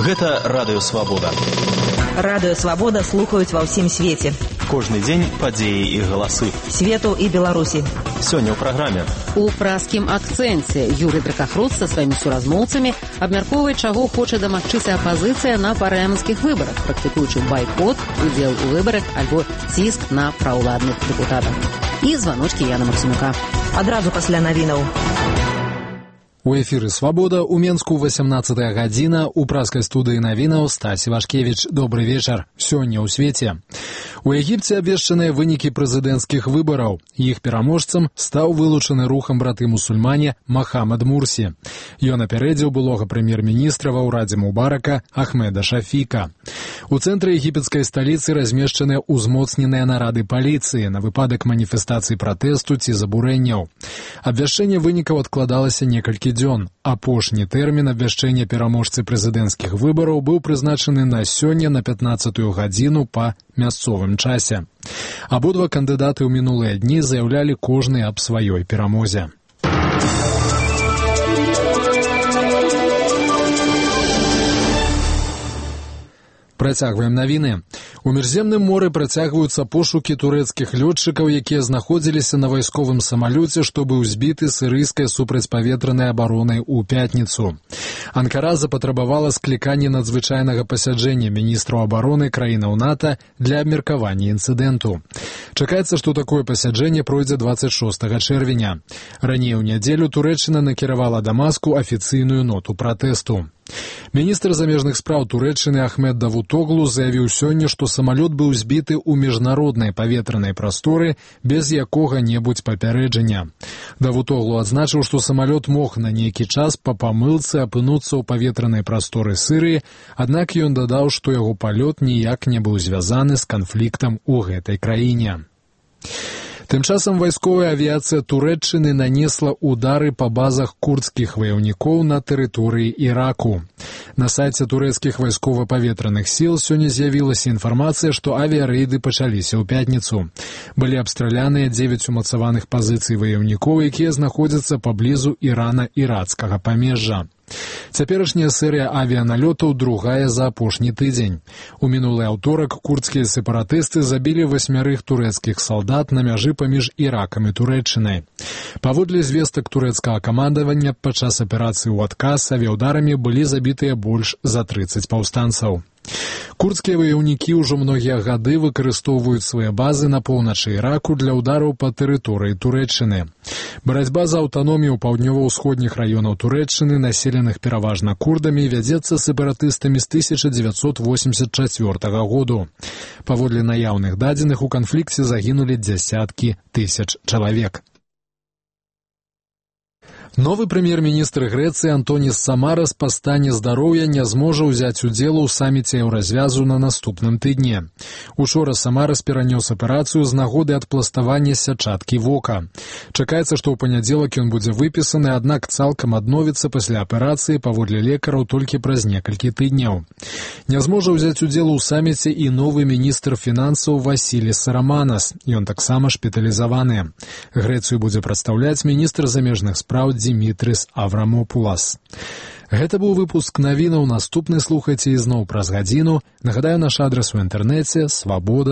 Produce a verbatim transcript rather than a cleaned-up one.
Гэта Радыё Свабода. Радыё Свабода слухаюць ва ўсім свеце. Кожны дзень падзеі і галасы. Свету і Беларусі. Сёння ў праграме. У праскім акцэнце Юрый Дракахруд са сваімі суразмоўцамі абмяркоўвае, чаго хоча дамагчыся апазіцыя на парламенцкіх выбарах, практыкуючы байкот, удзел у выбарах альбо ціск на праўладных дэпутатах. І званочкі Яна Максімука. Адразу пасля навінаў. У эфіры «Свабода» у Менску восемнадцатая гадзіна, у праскай студыі навінаў Стась Івашкевіч. Добры вечар. Сёння ў свеце. У Егіпце абвешчаныя вынікі прэзідэнцкіх выбараў. Іх пераможцам стаў вылучаны рухам браты-мусульмане Махамад Мурсі. Ён апярэдзіў былога прэм'ер-міністра ва ўрадзе Мубарака Ахмеда Шафіка. У цэнтры егіпецкай сталіцы размешчаныя ўзмоцненыя нарады паліцыі на выпадак маніфестацый пратэсту ці забурэнняў. Абвяшчэнне вынікаў адкладалася некалькі дзён. Апошні тэрмін абвяшчэння пераможцы прэзідэнцкіх выбараў быў прызначаны на сёння на пятнаццатую гадзіну па мясцовым часе. Абодва кандыдаты ў мінулыя дні заяўлялі кожны аб сваёй перамозе. Працягваем навіны. У міжземным моры працягваюцца пошукі турэцкіх лётчыкаў, якія знаходзіліся на вайсковым самалёце, што быў збіты сірыйскай супрацьпаветранай абаронай у пятніцу. Анкара запатрабавала скліканне надзвычайнага пасяджэння міністраў абароны краінаў НАТО для абмеркавання інцыдэнту. Чакаецца, што такое пасяджэнне пройдзе дваццаць шостага чэрвеня. Раней у нядзелю Турэччына накіравала Дамаску афіцыйную ноту пратэсту. Міністр замежных спраў Турэччыны Ахмед Давутоглу заявіў сёння, што самалёт быў збіты ў міжнароднай паветранай прасторы без якога-небудзь папярэджання. Давутоглу адзначыў, што самалёт мог на нейкі час па памылцы апынуцца ў паветранай прасторы Сірыі, аднак ён дадаў, што яго палёт ніяк не быў звязаны з канфліктам у гэтай краіне. Тым часам вайсковая авіяцыя Турэччыны нанесла удары па базах курдскіх ваяўнікоў на тэрыторыі Іраку. На сайце турэцкіх вайскова-паветраных сіл сёння з'явілася інфармацыя, што авіярэйды пачаліся ў пятніцу. Былі абстраляныя дзевяць умацаваных пазіцый ваяўнікоў, якія знаходзяцца паблізу Ірана-ірацкага памежжа. Цяперашняя серыя авіяналётаў другая за апошні тыдзень. У мінулы аўторак курдскія сепаратысты забілі васьмярых турэцкіх салдат на мяжы паміж Іракам і Турэччынай. Паводле звестак турэцкага камандавання, падчас аперацыі ў адказ авіяўдарамі былі забітыя больш за трыццаць паўстанцаў. Курдскія ваяўнікі ўжо многія гады выкарыстоўваюць свае базы на поўначы Іраку для ўдараў па тэрыторыі Турэччыны. Барацьба за аўтаномію паўднёва-ўсходніх раёнаў Турэччыны, населеных пераважна курдамі, вядзецца сепаратыстамі з тысяча дзевяцьсот восемьдесят чацвёртага году. Паводле наяўных дадзеных, у канфлікце загінулі дзясяткі тысяч чалавек. Новы прэм'ер-міністр Грэцыі Антоніс Самарас па стане здароўя не зможа ўзяць удзелу ў саміце еўразвязу на наступным тыдні. Учора Самарас перанёс аперацыю з нагоды адпластавання сятчаткі вока. Чакаецца, што ў панядзелак ён будзе выпісаны, аднак цалкам адновіцца пасля аперацыі паводле лекараў толькі праз некалькі тыдняў. Не зможа ўзяць удзелу ў саміце і новы міністр фінансаў Васіліс Раманас. Ён таксама шпіталізаваны. Грэцыю будзе прадстаўляць міністр замежных спраў Димитрис Аврамопулас. Гэта быў выпуск навінаў. Наступны слухайце ізноў праз гадзіну. Нагадаю, наш адрас у інтэрнэце свабода.